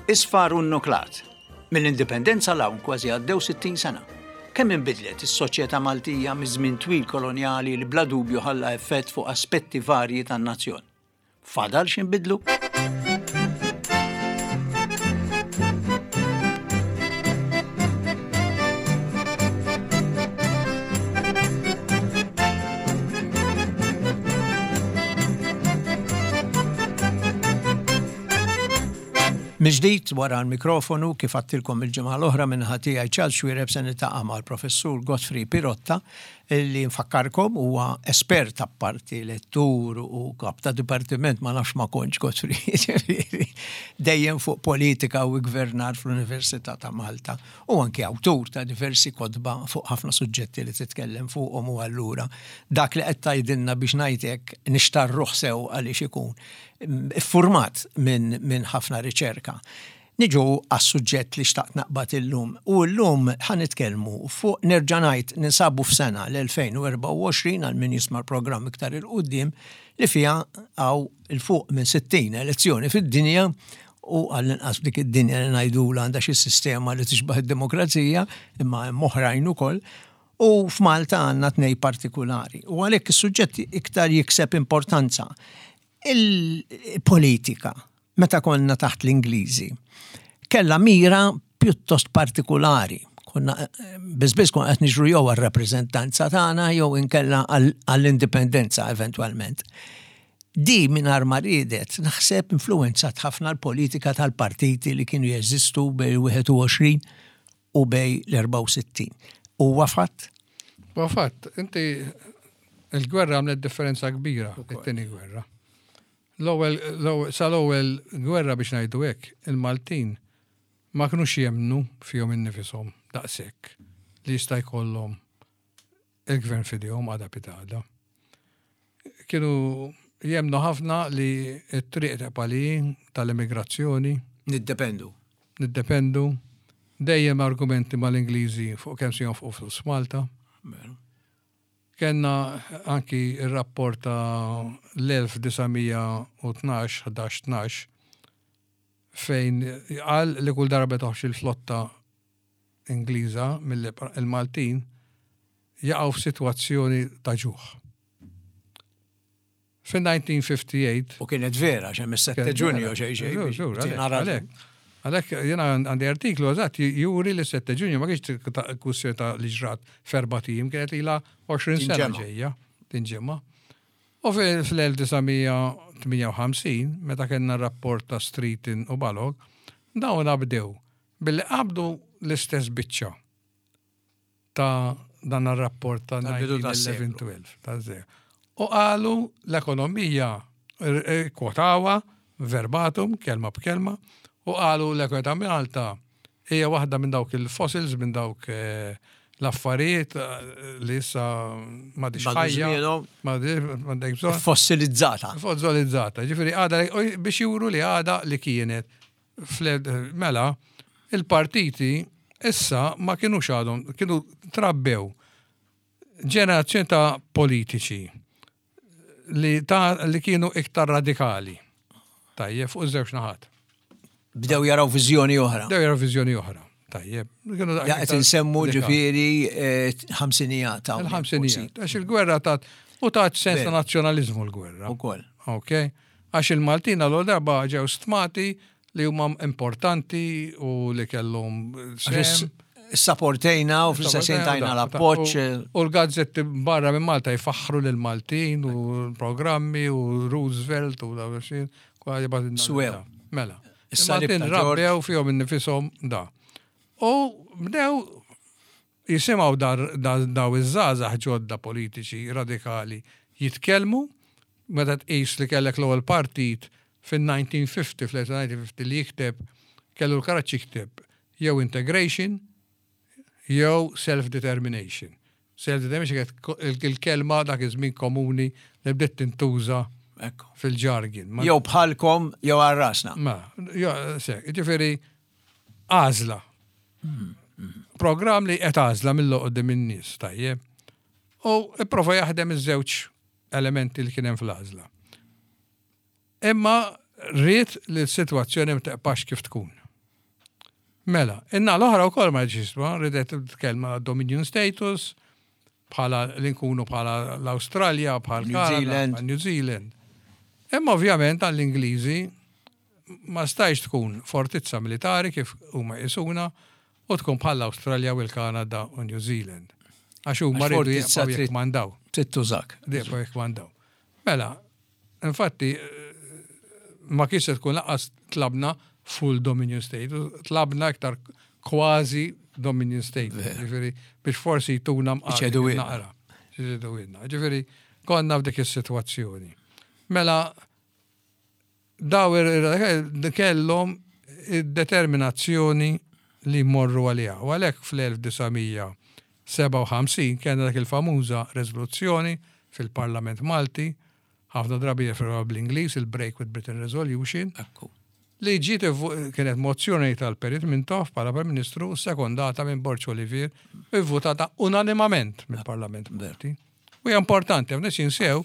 Isfar u nnuklat. Mill-Indipendenza 'l hawn kważi għaddew 60 sena. Kemm inbidlet is-soċjetà Maltija miż-żmien twil kolonjali li bla dubju ħalla effett fuq aspetti varji tan-nazzjon. Fadal x'inbidlu? Mill-ġdid wara l-mikrofonu, kif għadtilkom il-ġimgħa l-oħra min-naħa tiegħi Charles Xuereb se niltaqa' mal-Professur Godfrey Pirotta li nfakkarkom huwa espert apparti lettur u kap ta' dipartiment ma nafx ma kontx Godfrey ġifieri dejjem fuq politika u gvernar fl-Università ta' Malta u anki awtur ta' diversi kotba fuq ħafna suġġetti li titkellem fuqhom u allura dak li qed tgħidilna biex ngħid hekk nixtarruh sew għaliex ikun iffurmat minn min ħafna riċerka. Niġu għas-suġġett li xtaqt naqbad illum u llum ħa nitkellmu fuq nerġa' ngħid ninsabu f'sena l-2024 għal min jisma' l-programm iktar 'il quddiem li fiha hawn 'il fuq minn 60 elezzjoni fid-dinja u għall-inqas f'dik id-dinja li ngħidulha għandha xi sistema li tixbah id-demokrazija imma hemm oħrajn ukoll u f'Malta għandna tnej partikulari u għalhekk is-suġġett iktar jikseb importanza. Il-politika, meta konna taħt l-Ingliżi, kellha mira pjuttost partikulari. Konna biss biss konna qed niġru jew għar-rappreżentanza tagħna jew inkella għall-indipendenza eventwalment. Di mingħajr ma riedet, naħseb influwenzat ħafna l-politika tal-partiti li kienu jeżistu bejn 21 u bejn l-64. Huwa fatt? Huwa fatt. Inti il-gwerra għamlet differenza kbira, it-tieni gwerra. L-ewwel sal-ewwel gwerra biex ngħidu hekk, il-Maltin ma kinux jemmnu fihom innifishom daqshekk li jista' jkollhom il-gvern f'idejhom għada pitgħada. Kienu jemmnu ħafna li t-triq tibqa' li hi tal-immigrazzjoni. Niddependu. Niddependu. Dejjem argumenti mal-Ingliżi fuq kemm se jonfqu flus f'Malta. Veru. Kellna anki r-rapport ta' l-1912, 11, 12, fejn qal li kull darba toħroġ il-flotta Ingliża mill-Maltin jaqgħu f'sitwazzjoni ta' ġuħ. Fin-1958. U kienet vera, għax hemm is-7 Ġunju xejn xejn. Għalhekk, għalhekk jiena għandi artiklu eżatt juri li 7 Ġunju ma kienx kwistjoni ta' li ġrat f'erbat ijiem, kienet ilha 20 sena ġejja, tinġimgħa. U fl-1958, meta kellna r-rapport ta' Streeton u Balog, dawn bdew billi qabdu l-istess biċċa ta' dan ir-rapport ta' 1911-12 ta' zero. U qalu l-ekonomija kwotawa verbatum, kelma b'kelma, u qalu l-ekonomija ta' Malta hija waħda minn dawk il-fossils, minn dawk eh, l-affarijiet eh, li issa ma diċ ħajja. Ma bżonn. Fossilizzata. Fossilizzata. Ġifieri għada biex juru li għada li kienet Mela, il-partiti issa ma kinux għadhom, kienu trabbew ġenerazzjoni ta' politiċi li, ta, li kienu iktar radikali. Tajjeb, fuq iż-żewġ naħat. Bdew jaraw viżjoni oħra. Bdew jaraw viżjoni oħra. Tajjeb. Qed insemmu ġifieri eh, ħamsinijat. Il-ħamsinijat. Għax il-gwerra tat u tat sens ta' nazzjonaliżmu l-gwerra. Ukoll. Ok. Għax il-Maltin għal darba ġew stmati li huma importanti u li kellhom sehem. Saportejna u fl-istess tajna l-appoġġ. U l-gazzetti barra minn Malta jfaħħru lil Maltin u l-programmi u Roosevelt u dawn xi Swew. Mela. Il-Maltin rabbew fihom innifishom da. U bdew jisimgħu daw iż-żgħażagħ ġodda politiċi radikali jitkellmu, meta tqis li kellek l-ewwel partit fin-1950, fl-1950 li jikteb, kellu l-karaġġ jikteb jew integration jew self-determination. Self-determination kienet il-kelma dak iż-żmien komuni li bdiet tintuża fil-ġargin. Jew bħalkom jew għal rasna. Ma, ġifieri għażla. Programm li qed għażla mill-oqdim in-nies, tajjeb. U ipprova jaħdem iż-żewġ elementi li kien hemm fl-għażla. Imma rrid li s-sitwazzjoni ma teqpax kif tkun. Mela, in-naħa l-oħra wkoll ma rridx jisma', ridet tkellma Dominion status, bħala li nkunu bħala l-Awstralja, bħal New Zealand. New Zealand. Imma ovvjament għall-Ingliżi ma stajx tkun fortizza militari kif huma jqisuna u tkun bħal l-Awstralja u l-Kanada u New Zealand. Għax huma Għax rridu fortizza jibqgħu trid- jikkmandaw. Trid tużak. Jibqgħu jikkmandaw. Mela, infatti ma kienx se tkun lanqas tlabna full Dominion State, tlabna iktar kważi Dominion State. Ġifieri biex forsi jtuna mqar Iċedu ilna. naqra. Iċedu ilna. Ġifieri konna f'dik is-sitwazzjoni. Mela daw kellhom id-determinazzjoni li jmorru għaliha. U għalhekk fl-1957 kellna dak il-famuża rezoluzzjoni fil-Parlament Malti, ħafna drabi jirreferuha bl-Ingliż, il-Break with Britain Resolution, Ekku. li ġiet kienet mozzjoni tal-Perit Mintoff bħala Prim Ministru sekondata minn Borg Olivier u vvotata unanimament mill-Parlament Malti. U hija importanti, għax jinsew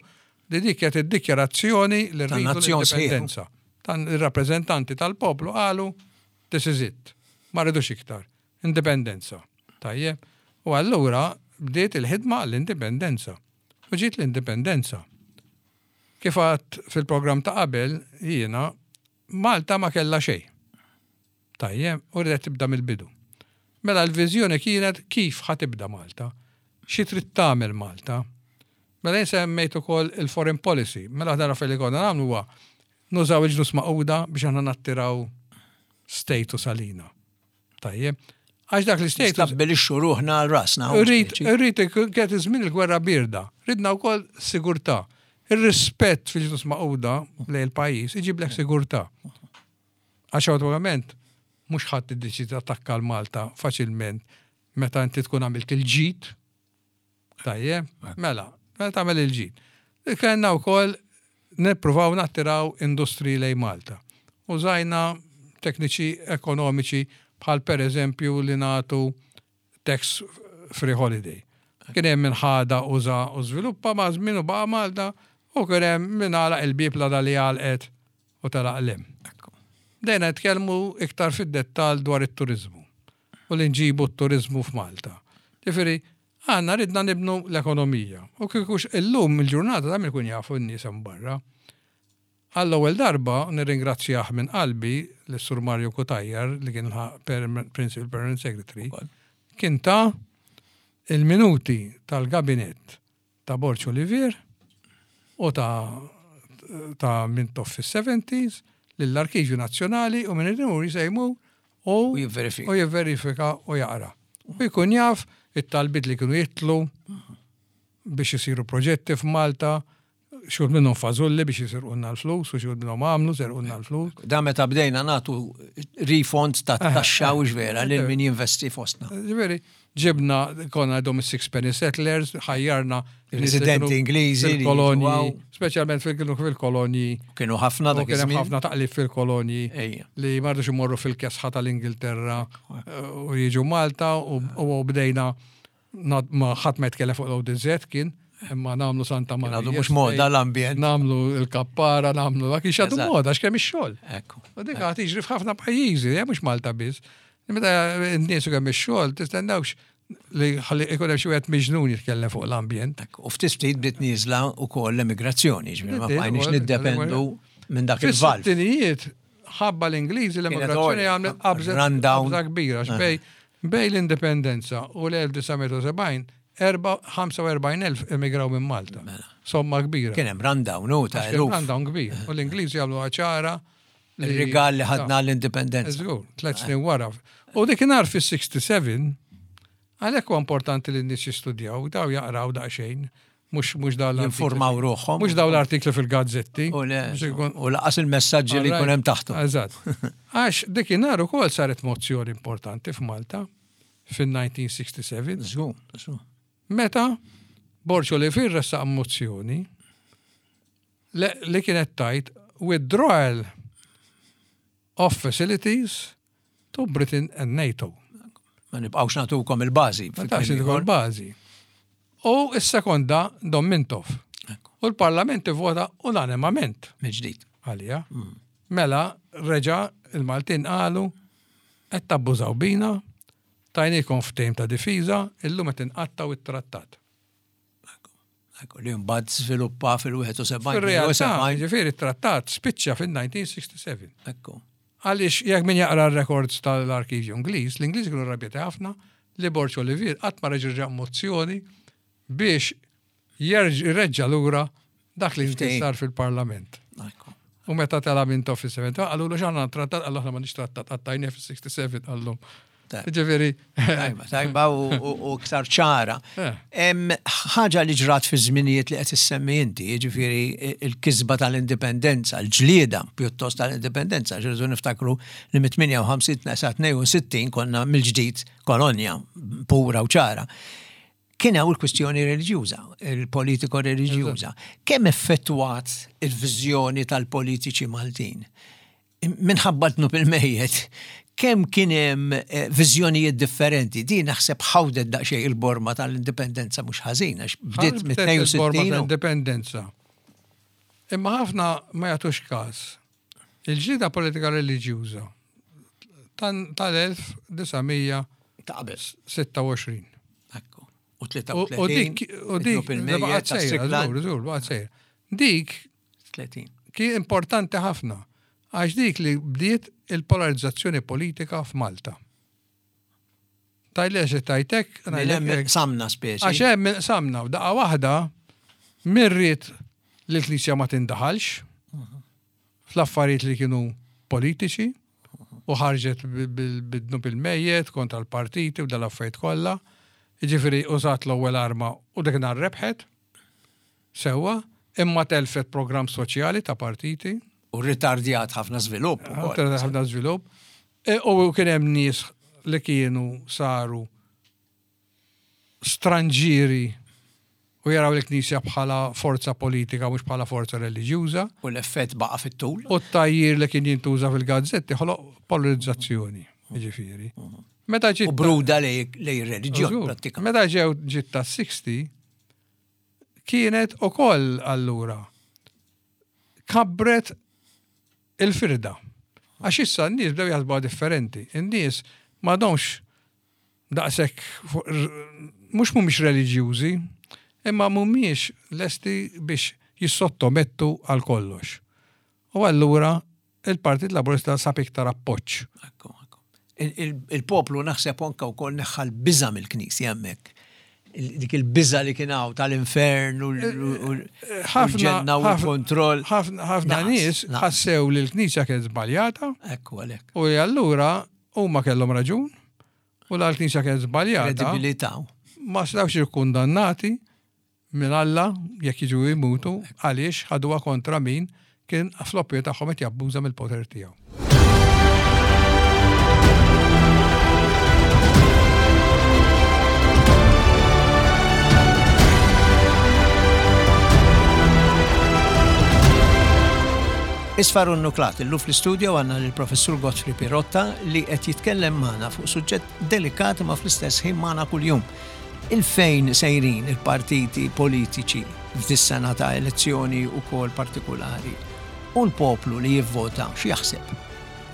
li dik kienet id-dikjarazzjoni li rridu Tan-nazzjon sħiħ. l-indipendenza. Tan ir-rappreżentanti tal-poplu qalu this is it. Ma rridux iktar. Indipendenza. Tajjeb. U allura bdiet il-ħidma għall-indipendenza. U ġiet l-indipendenza. Kif għadt fil-programm ta' qabel, jiena, Malta ma kellha xejn. Tajjeb, u ridet tibda mill-bidu. Mela l-viżjoni kienet kif ħa tibda Malta, xi trid tagħmel Malta. Mela jien semmejt ukoll il-foreign policy. Mela aħna li konna nagħmlu huwa nużaw il-Ġnus Magħquda biex aħna nattiraw status għalina. Tajjeb. Għax dak l-status Stabbilixxu ruħna għal rasna. Rrid, rrid, kienet iż-żmien il-gwerra birda. Ridna wkoll sigurtà. Ir-rispett fil-Ġnus Magħquda lejn il-pajjiż iġiblek sigurtà. Għax ovvjament mhux ħadd iddeċiedi attakka l-Malta faċilment meta inti tkun għamilt il-ġid. Tajjeb, mela, mela tagħmel il-ġid. Kellna wkoll nippruvaw nattiraw industriji lejn Malta. Użajna tekniċi ekonomiċi bħal per eżempju li nagħtu tax free holiday. Kien hemm min ħada uża u żviluppa ma' żmien u baqa' Malta u kien hemm min għalaq il-bieb la li għalqet u telaq 'l hemm. Bdejna nitkellmu iktar fid-dettall dwar it-turiżmu u li nġibu t-turiżmu f'Malta. Ġifieri, għandna ridna nibnu l-ekonomija. U kieku illum il-ġurnata ta' min ikun jafu n-nies hemm barra. Għall-ewwel darba nirringrazzjah minn qalbi lis-Sur Mario Cutajar li kien Principal Permanent Secretary, kien ta il-minuti tal-gabinett ta' Borg Olivier u ta' ta' Mintoff fis-70s lill-Arkivju Nazzjonali u minn imur jsejmu u jivverifika. U jivverifika u jaqra. U jkun jaf it-talbiet li kienu jitlu biex isiru proġetti f'Malta, xi wħud minnhom fażulli biex jisirqulna l-flus u xi wħud minnhom għamlu serqulna l-flus. Da meta bdejna nagħtu refund ta' taxxa u vera lil min jinvesti fostna. Ġifieri, ġibna konna għadhom is-six penny settlers, ħajjarna Residenti Ingliżi li fil-kolonji, jiġu hawn. speċjalment fil-kienu fil-kolonji. Kienu ħafna U dak kien hemm iż-żmien. ħafna taqlib fil-kolonji Ejja. li ma rridux imorru fil-kesħa tal-Ingilterra u jiġu Malta u u bdejna ma ħadd ma jitkellem fuq l-ODZ kien imma nagħmlu Santa Marija. għadu mhux moda l-ambjent. Nagħmlu il-kappara, nagħmlu dak ix għadu Eżatt. moda għax kemm ix-xogħol. Ekku. U dik għad tiġri f'ħafna pajjiżi, mhux Malta biss. Meta n-nies u kemm ix-xogħol tistennewx li ħalli ikun hemm xi wieħed miġnun jitkellem fuq l-ambjent. Ekku. U ftit ftit bdiet nieżla wkoll l-emigrazzjoni, ġifieri ma Bdiet bqajniex ukoll niddependu minn dak il-valv. Fis-sittinijiet ħabba l-Ingliżi l-emigrazzjoni għolja. għamlet qabżet Rundown. qabża kbira għax bej bej l-indipendenza u l-1970 45,000 emigraw minn Malta. Somma kbira. Kien hemm rundown u ta' Għax kien eluf. Rundown kbir. U l-Ingliżi għamlu ċara. li- Il-rigal li ħadna l-indipendenza. Żgur, tlet snin wara. U dik fis-67, għalhekk huwa importanti li n-nies jistudjaw, daw jaqraw daqsxejn, mhux mhux daw l-artikli- Jinformaw ruħhom. Mhux daw l-artikli fil-gazzetti. U le, Biex ikun- u laqas il-messaġġi li jkun hemm taħtu. Eżatt. Għax dikinhar ukoll saret mozzjoni importanti f'Malta fin-1967 Żgur, żgur. meta Borg Olivier ressaq mozzjoni li li kienet tajt withdrawal of facilities to Britain and NATO. Ma nibqgħux nagħtukom il-bażi. Ma tax tkun bażi. U s-sekonda Dom Mintoff. Ekku. U l-Parlament ivvota unanimament Mill-ġdid. għalija. Mela reġa il-Maltin qalu Qed tabbużaw bina, tajniekom ftehim ta' difiża, illum qed inqattgħu t-trattat. Ekku, li mbagħad żviluppa fil-71. Fir-realtà, ġifieri t-trattat spiċċa fil-1967. Ekku. Għaliex jekk min jaqra r-records tal-arkivju Ingliż, l-Ingliż kienu rrabjati ħafna li Borg Olivier qatt ma reġa' mozzjoni biex jreġġa' lura dak li kien sar fil-Parlament. U meta tela' Mintoff fis-70, qalulu x'aħna trattat, qallu aħna m'għandniex trattat, qattajnieh fis-67 qallhom. Ġifieri. Tajba, tajba u iktar ċara. Eh. Ħaġa li ġrat fi żminijiet li qed issemmi inti, ġifieri il-kisba tal-indipendenza, l-ġlieda pjuttost tal-indipendenza, ġirdu niftakru li mit-58 sa 62 konna mill-ġdid kolonja pura u ċara. Kien hawn il-kwistjoni reliġjuża, il-politiko reliġjuża. Kemm effettwat il-viżjoni tal-politiċi Maltin? Minħabba dnub il-mejjet, kemm kien hemm eh, viżjonijiet differenti, di naħseb ħawdet daqsxejn il-borma tal-indipendenza mhux ħażin, għax bdiet mit-62. Indipendenza. Imma ħafna ma jagħtux każ. Il-ġlieda politika reliġjuża tal-1900 Ta' qabel. 26. Ekku. U 33. U dik, u dik, baqgħet sejra, żgur, żgur, baqgħet sejra. Dik 30. Kien importanti ħafna għax dik li bdiet il-polarizzazzjoni politika f'Malta. Tajli għax tajtek. Samna speċi. Għax hemm samna u daqqa waħda mirrit li l-Knisja ma tindaħalx fl-affarijiet li kienu politiċi u ħarġet bid-dnub il-mejjet kontra l-partiti u dal-affarijiet kollha. Jiġifieri użat l-ewwel arma u dik nhar rebħet. Sewwa, imma telfet programm soċjali ta' partiti. U rritardjat ħafna żvilupp ukoll. Ritardjat ħafna żvilupp. E, u kien hemm nies li kienu saru stranġieri u jaraw il-Knisja bħala forza politika mhux bħala forza reliġjuża. U l-effett baqa' fit-tul. U t-tgħajjir li kien jintuża fil-gazzetti ħoloq polarizzazzjoni, jiġifieri. Meta ġiet. U bruda lej ir-reliġjon prattikament. Meta ġew ġiet tas-60 kienet ukoll allura kabbret il-firda. Għax issa n-nies bdew jaħsbuha differenti. In-nies m'għadhomx daqshekk mhux mhumiex reliġjużi, imma mhumiex lesti biex jissottomettu għal kollox. U allura il-Partit Laburista sab iktar appoġġ. Ekku, ekku. Il-poplu naħseb anke wkoll neħħa l-biża' mill-Knisja hemmhekk. Dik il-biża' li kien hawn tal-infern u l-ġenna u l-kontroll. Ħafna nies ħassew li l-Knisja kienet żbaljata. Ekku għalhekk. U allura Huma kellhom raġun u la l-Knisja kienet żbaljata. Kredibilità. Ma setgħux jikkundannati minn Alla jekk jiġu jmutu għaliex ħaduha kontra min kien fl-opinjoni tagħhom qed jabbuża mill-poter tiegħu. Isfar u Nuklat, illum fl-istudio għandna lill-Professur Godfrey Pirotta li qed jitkellem magħna fuq suġġett delikat imma fl-istess ħin magħna kuljum. Il-fejn sejrin il-partiti politiċi f'dis-sena ta' elezzjoni ukoll partikulari u l-poplu li jivvota x'jaħseb?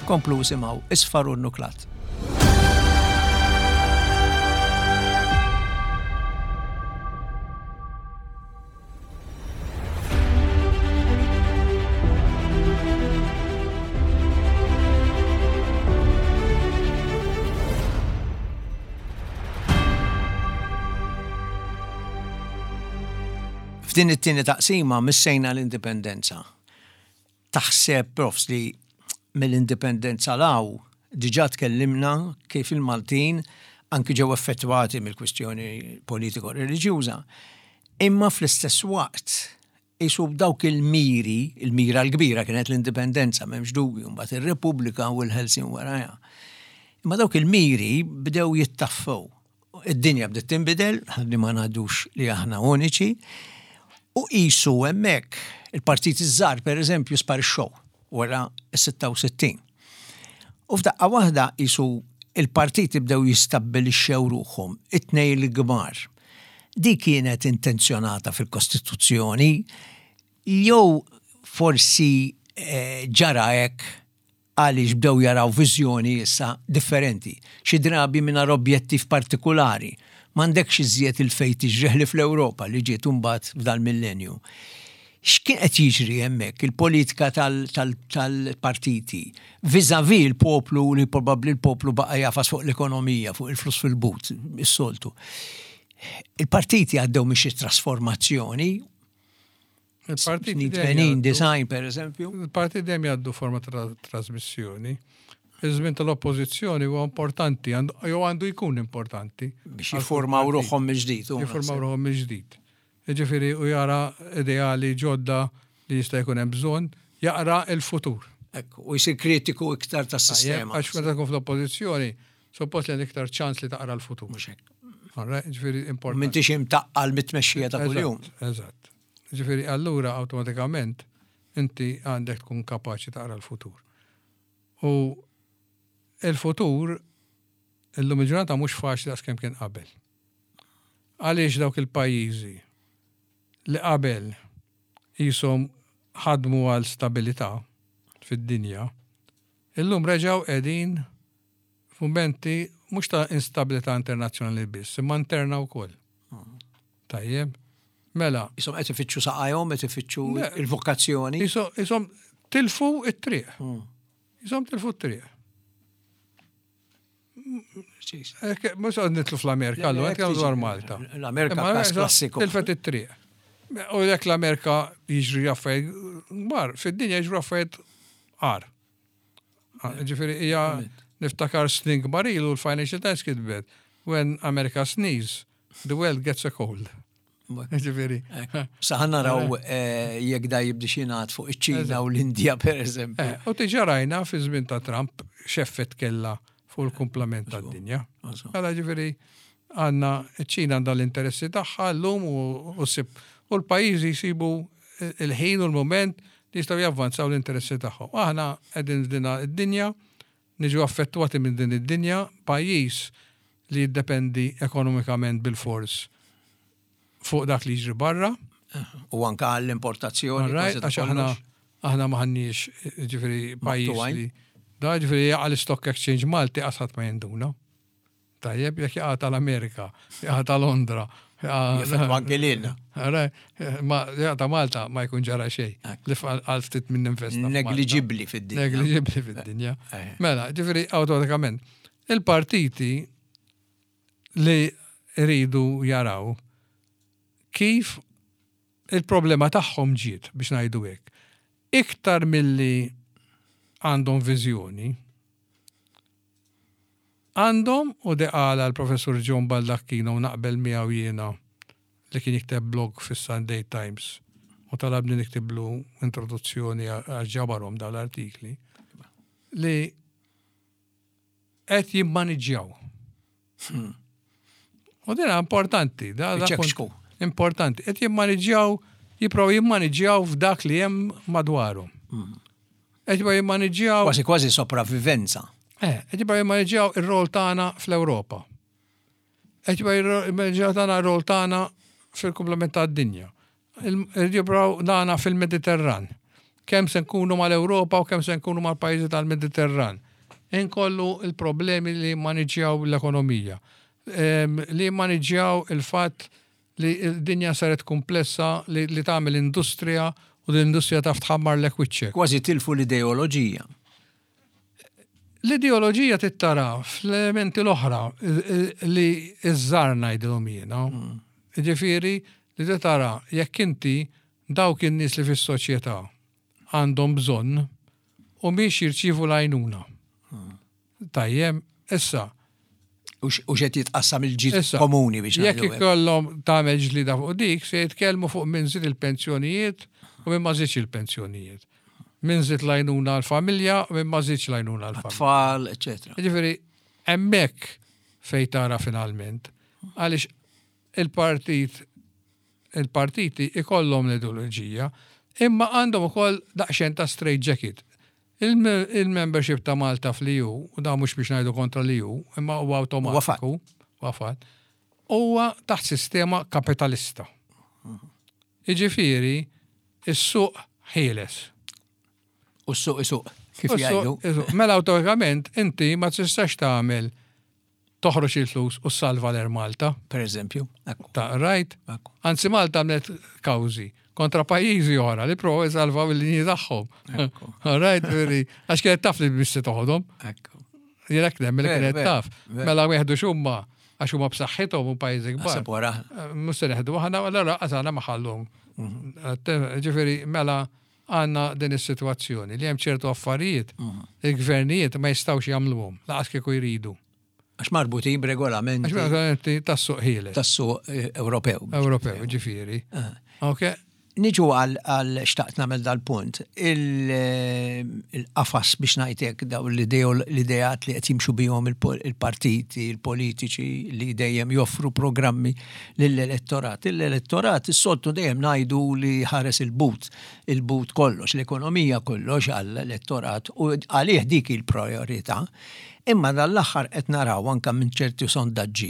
Komplu isimgħu Isfar u Nuklat. F'din it-tieni taqsima missejna l-indipendenza. Taħseb, Profs, li mill-indipendenza 'l hawn diġà tkellimna kif il-Maltin anki ġew effettwati mill-kwistjoni politiko-reliġjuża, imma fl-istess waqt qisu b'dawk il-miri, il-mira l-kbira kienet l-indipendenza, m'hemmx dubju, mbagħad ir-Repubblika u l-ħelsien warajha. Imma dawk il-miri bdew jittaffew. Id-dinja bdiet tinbidel, ħalli ma ngħidux li aħna uniċi, u qisu hemmhekk il-partiti ż-żgħar pereżempju sparixxew wara s-66. U f'daqqa waħda qisu il-partiti bdew jistabbilixxew ruħhom, it-tnejn l-kbar. Di kienet intenzjonata fil-Kostituzzjoni jew forsi eh, ġara hekk. Għaliex bdew jaraw viżjoni issa differenti, xi drabi mingħajr objettiv partikulari. M'għandekx iżjed il-fejn tiġri ħlief l-Ewropa li ġiet imbagħad f'dal-millenju. X'kien qed jiġri hemmhekk, il-politika tal-partiti vis-à-vis il-poplu li probabbli l-poplu baqa' jagħfas fuq l-ekonomija, fuq il-flus fil-but, is-soltu. Il-partiti għaddew minn xi trasformazzjoni Il-partiti 80, design per eżempju. Il-partiti dejjem jgħaddu forma ta' trasmissjoni. Iż-żmien tal-oppożizzjoni huwa importanti, jew għandu jkun importanti. Biex jiffurmaw ruħhom mill-ġdid. Jiffurmaw ruħhom mill-ġdid. Jiġifieri u jara ideali ġodda li jista' jkun hemm bżonn, jaqra l-futur. Ekku, u jsir kritiku iktar tas-sistema. Għax meta tkun fl-oppożizzjoni, suppost li għandek iktar ċans li taqra l-futur. Mhux hekk. Ġifieri importanti. M'intix imtaqqal mit-tmexxija ta' kuljum. Eżatt. Ġifieri allura awtomatikament inti għandek tkun kapaċi taqra l-futur. U il-futur illum il-ġurnata mhux faċli daqs kemm kien qabel. Għaliex dawk il-pajjiżi li qabel qishom ħadmu għal stabilità fid-dinja, illum reġgħu qegħdin f'mumenti mhux ta' instabilità internazzjonali biss, imma interna wkoll. Tajjeb. Mela. Isom qed ifittxu saqajhom, qed ifittxu il-vokazzjoni. Isom tilfu it-triq. Hmm. Isom tilfu t-triq. Mux għad nitlu fl-Amerika, għallu, għed dwar Malta. L-Amerika każ klassiku. Tilfet it-triq. U jekk l-Amerika jiġri affarijiet kbar, fid-dinja jiġru affarijiet għar. Ah, ġifieri hija niftakar snin kbar ilu l-Financial Times kitbet when America sneeze, the world gets a cold. Ġifieri. Saħan naraw eh, jekk da jibdi xinat fuq iċ-Ċina u l-Indja per eżempju. Eh, u tiġa rajna fi żmien ta' Trump x'effett kella fuq il-kumplament tad-dinja. Għala ġifieri għandna ċ-Ċina għandha l-interessi tagħha llum u sib u l-pajjiżi jsibu il-ħin u l-mument li jistgħu javvanzaw l-interessi tagħhom. Aħna qegħdin f'din id-dinja, niġu affettwati minn din id-dinja, pajjiż li jiddependi ekonomikament bilfors fuq dak li jiġri barra. U anka għall-importazzjoni. Għax aħna aħna maħniex ġifieri pajjiż li da ġifieri jaqa' l-Stock Exchange Malti qasat ma jinduna. Tajjeb, jekk jaqa' tal-Amerika, jaqa' ta' Londra. Jaffettwa anke lilna. Ma jaqa' ta' Malta ma jkun ġara xejn. Li għal ftit minn investa. Negliġibbli fid-dinja. Negliġibbli fid-dinja. Eh. Mela, ġifieri awtomatikament. Il-partiti li rridu jaraw kif il-problema tagħhom ġiet biex ngħidu hekk. Iktar milli għandhom viżjoni, Għandhom, u di qalha l-Professur John Baldacchino u naqbel miegħu jiena li kien jikteb blog fis-Sunday Times u talabni niktiblu introduzzjoni għax ġabarhom dawn l-artikli, li qed jimmaniġġjaw. Hmm. U dina importanti. Da, da importanti. Qed jimmaniġġjaw, jipprovaw jimmaniġġjaw f'dak li hemm madwarhom. Hmm. Qed jibgħu jimmaniġġjaw. Kważi kważi sopravvivenza. Eh, qed jibgħu jimmaniġġjaw ir-rol tagħna fl-Ewropa. Qed jibgħu jimmaniġġjaw tagħna r-rol tagħna fil-komplement tad-dinja. Jibgħu tagħna fil-Mediterran. Kemm se nkunu mal-Ewropa u kemm se nkunu mal-pajjiżi tal-Mediterran. Inkollu il-problemi li jimmaniġġjaw l-ekonomija. Ehm, li jimmaniġġjaw il-fatt li d-dinja saret kumplessa li, li tagħmel industrija u l-industrija taf tħammarlek wiċċek. Kważi tilfu l-ideoloġija. L-ideoloġija tittara fl-elementi l-oħra li iż-żar ngħidilhom jiena. Mm. Ġifieri li tara jekk inti dawk in-nies li fis-soċjetà għandhom bżonn u miex jirċievu l-għajnuna. Mm. Tajjeb, issa. U xed jitqassam il-ġid komuni biex. Jekk ikollhom tagħmel ġlida fuq dik, se jitkellmu fuq min żid il-pensjonijiet u min ma żidx il-pensjonijiet. Min żid l-għajnuna għall-familja u min ma żidx l-għajnuna għall-familja. Tfal, eċetera. Jiġifieri hemmhekk fejn tara finalment. Għaliex il-partit il-partiti ikollhom l-ideoloġija, imma għandhom ukoll daqsxejn ta' straight jacket. Il-membership ta' Malta fl-EU, u da mhux biex ngħidu kontra l-EU, imma huwa awtomatiku, huwa fatt, huwa taħt sistema kapitalista. Jiġifieri, is-suq ħieles. U s-suq isuq. Kif jgħidu. Mela awtomatikament inti ma tistax tagħmel toħroġ il-flus u salva l-Air Malta. Per eżempju. Ta' right? Anzi Malta għamlet kawżi kontra pajjiżi oħra li provaw jsalvaw il-linji tagħhom. Right, veri, għax kienet taf li bissi toħodhom. Jien hekk nemmen li kienet taf. Mela wieħdu xumma għax huma b'saħħithom u pajjiżi kbar. Eh, mhux se neħdu aħna allura qasana ma ħallhom. Mhm. Eh, ġifieri mela għandna din is-sitwazzjoni li hemm ċertu affarijiet mhm. il-gvernijiet ma jistgħux jagħmluhom laqas kieku jridu. Għax marbutin b'regolamenti. Għax regolamenti tas-suq ħieles. Tas-suq eh, Ewropew. Ewropew, ġifieri. Ah. Ok. Niġu għal xtaqt nagħmel dal-punt. Eh, il-qafas biex ngħidlek daw l-ideat li qed jimxu bihom il-partiti, il-politiċi li dejjem joffru programmi lill-elettorat. Il-elettorat is-soltu dejjem ngħidu li ħares il-but, il-but kollox, l-ekonomija kollox għall-elettorat u għalih dik il-priorità. Imma dan l-aħħar qed naraw anke minn ċerti sondaġġi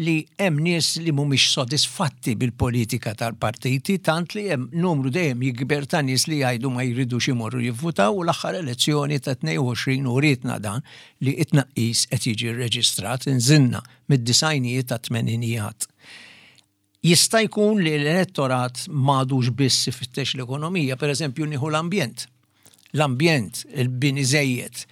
li hemm nies li mhumiex sodisfatti bil-politika tal-partiti tant li hemm numru dejjem jikber ta' nies li jgħidu ma jridux imorru jivvutaw u l-aħħar elezzjoni ta' 22 urietna dan li t-tnaqqis qed jiġi rreġistrat inżilna mid-disgħinijiet għat-tmeninijiat. Jista' jkun li l-elettorat m'għadux biss ifittex l-ekonomija, per eżempju nieħu l-ambjent. L-ambjent, il-bini żejjed,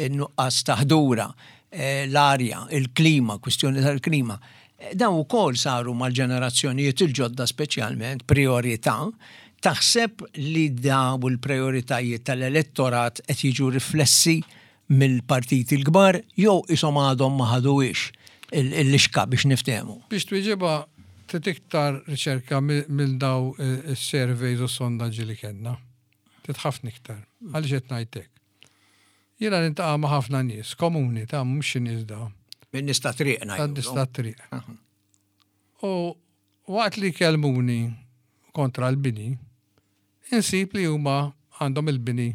in-nuqqas ta' ħdura, eh, l-arja, il-klima, kwistjoni tal-klima. Eh, dawn ukoll saru mal-ġenerazzjonijiet il-ġodda speċjalment priorità. Taħseb li daw il-prioritajiet tal-elettorat qed jiġu riflessi mill-partiti l-kbar jew qishom għadhom ma ħaduhiex il-lixka biex niftehmu? Biex twieġibha trid iktar riċerka minn daw is-surveys u s-sondaġġi li kellna. Trid ħafna iktar. Għaliex qed ngħid hekk? Jiena niltaqa' ma' ħafna nies komuni ta' mhux xi nies da. Min-nies tat-triq ngħidu. Tan-nies tat-triq. U waqt li jkellmuni kontra l-bini, insib li huma għandhom il-bini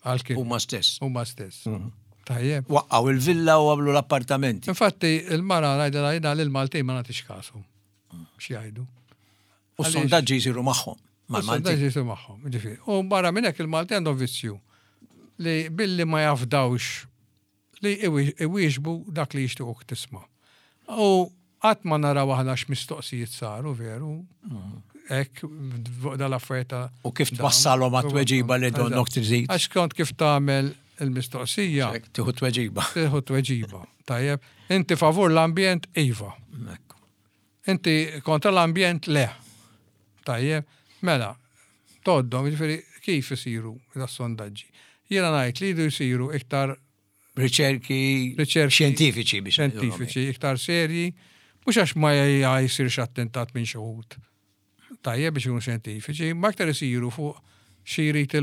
għal-kien. Huma stess. Huma stess. Mhm. Tajjeb. Waqqaw il-villa u għamlu l-appartamenti. Infatti, il-mara ngħidilha jiena lil Maltin ma nagħtix kasu. Xi jgħidu. U s-sondaġġi jsiru magħhom. Mal-Maltin. Jsiru magħhom, ġifieri. U barra minn hekk il-Maltin għandhom vizzju li billi ma jafdawx li iwieġbu dak li jixtiequk tisma'. U qatt ma naraw aħna x'mistoqsijiet saru veru. Hekk fuq dal-affarijiet ta' U kif twassalhom għat-tweġiba li donnok trid. Għax kont kif tagħmel il-mistoqsija. Tieħu tweġiba. Tieħu tweġiba. Tajjeb. Inti favur l-ambjent iva. Inti kontra l-ambjent le. Tajjeb. Mela, toddhom, jiġifieri kif isiru das-sondaġġi. Jiena ngħid li jridu jsiru iktar riċerki xjentifiċi biex xjentifiċi, iktar serji, mhux għax ma jsirx attentat minn xi wħud. Tajjeb biex ikunu xjentifiċi, ma iktar isiru fuq xi jrid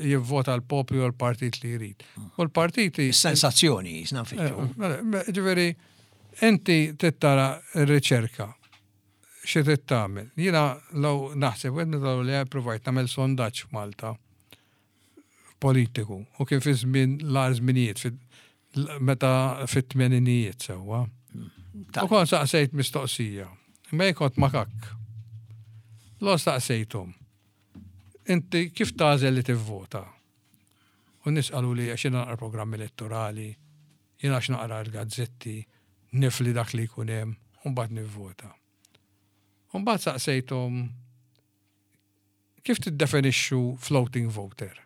jivvota l-poplu jew l-partit li jrid. U l-partiti. Sensazzjoni jisna nfittxu. Eh, mela, ġifieri, inti tittara r-riċerka xi trid tagħmel. Jiena law naħseb wieħed minn li provajt nagħmel sondaġġ f'Malta politiku u kien fi żmien l-agħar żminijiet meta fit-tmeninijiet sewwa. U kont saqsejt mistoqsija. Imma jien kont makakk. Lo staqsejthom. Inti kif tagħżel li tivvota? U nies qaluli għax jiena naqra programm elettorali, jien għax naqra l-gazzetti, nifli dak li jkun hemm, u mbagħad nivvota. U mbagħad saqsejthom kif tiddefinixxu floating voter?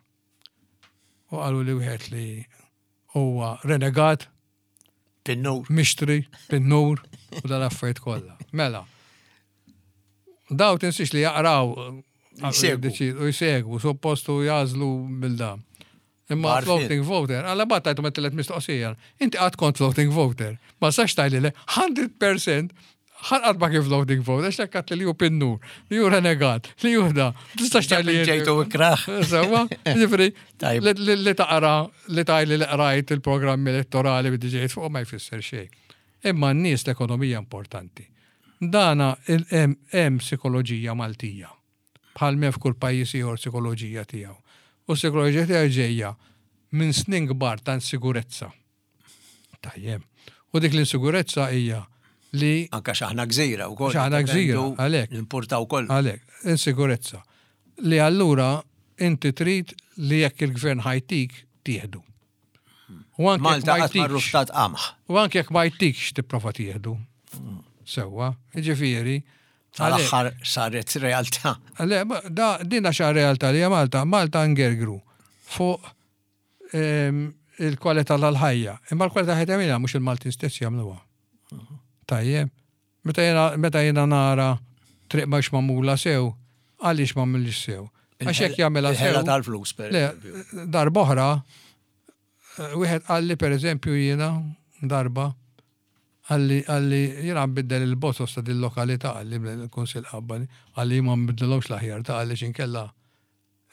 U qalu li wieħed li huwa renegat, Pinnur. Mixtri, pinnur, u dal-affarijiet kollha. Mela, daw tinsiex li jaqraw u jsegwu, suppostu jażlu mill-da. Imma floating voter, għalla bat tajtu met mistoqsija. Inti għad kont floating voter. Ma sax tajli le, 100% ħanqat ma kien floating voter, għax lekkat li ju pinnur, li ju renegat, li ju da. Tistax tajli. Ġejtu ikraħ. Sewa, ġifri, li taqra, li tajli li qrajt il-programmi elettorali bidi ġejt fuq ma jfisser xejn. Imma n-nies l-ekonomija importanti. Dana hemm psikoloġija Maltija. Bħal m'hemm f'kull pajjiż ieħor psikoloġija tiegħu. U s-psikoloġija tiegħu ġejja minn snin kbar ta' insigurezza. Tajjeb. U dik l-insigurezza hija li. Anke x'aħna gżira wkoll. X'aħna gżira, għalhekk. Nimportaw kollox. Għalhekk, insigurezza. Li allura inti trid li jekk il-gvern ħajtik. Tieħdu. U anke Malta qatt ma rruftat qamħ. U anke jekk ma jtikx tipprova tieħdu. Sewwa, jiġifieri. Tal-aħħar saret realtà. Le, da din għax realtà li Malta, Malta ngergru fuq ehm, il-kwalità tal-ħajja. Imma l-kwalità ħajja tagħmilha mhux il-Maltin stess jagħmluha. Tajjeb. Meta jiena meta jiena nara triq mhux magħmula sew, għaliex m'għamilx sew? Għax jekk jagħmilha sew. Il-ħela tal-flus, per eżempju. Darba oħra, eh, wieħed qalli per eżempju jiena darba qalli qalli jiena nbiddel il-botos ta' din lokalità qalli l-Kunsill qabbani, qalli ma nbiddilhomx l-aħjar ta' qalli x'inkella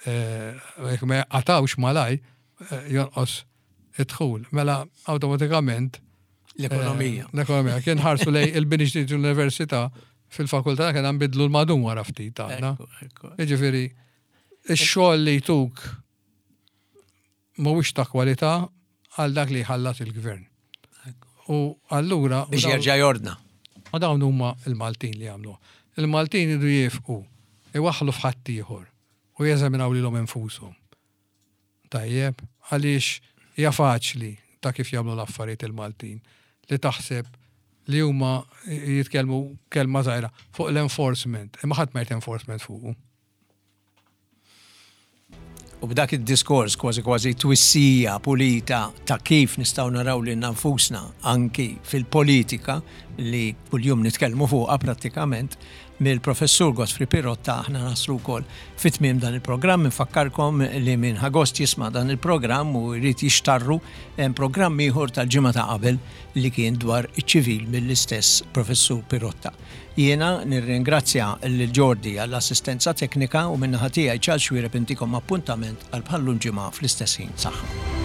eh, jekk ma jaqatawx malaj eh, jonqos id-dħul. Mela awtomatikament l-ekonomija. Eh, l-ekonomija. Kien ħarsu lej il-bini ġdid l-università fil-fakultà kien nbidlu l-madum wara ftit għandna. Jiġifieri ix-xogħol li jtuk mhuwiex ta' kwalità għal dak li jħallas il-gvern. U allura. Biex jerġa' jordna. U dawn huma il-Maltin li jagħmlu. Il-Maltin idu jifqu, iwaħħlu f'ħaddieħor u jeżaminaw lilhom infushom. Tajjeb, għaliex hija faċli ta' kif jagħmlu l-affarijiet il-Maltin li taħseb li huma jitkellmu kelma żgħira fuq l-enforcement, imma ħadd ma jrid enforcement fuqu. U b'dak id-diskors kważi kważi twissija pulita ta' kif nistgħu naraw lilna nfusna anki fil-politika li kuljum nitkellmu fuqha prattikament mill-Professur Godfrey Pirotta aħna naslu wkoll fi tmiem dan il-programm. Infakkarkom li min ħa gost jisma' dan il-programm u jrid jixtarru hemm programm ieħor tal-ġimgħa ta' qabel li kien dwar iċ-ċivil mill-istess Professur Pirotta. Jiena nirringrazzja lil Jordi għall-assistenza teknika u min-naħa tiegħi Charles Xuereb intikom appuntament għal bħal-lum ġimgħa fl-istess ħin. Saħħa.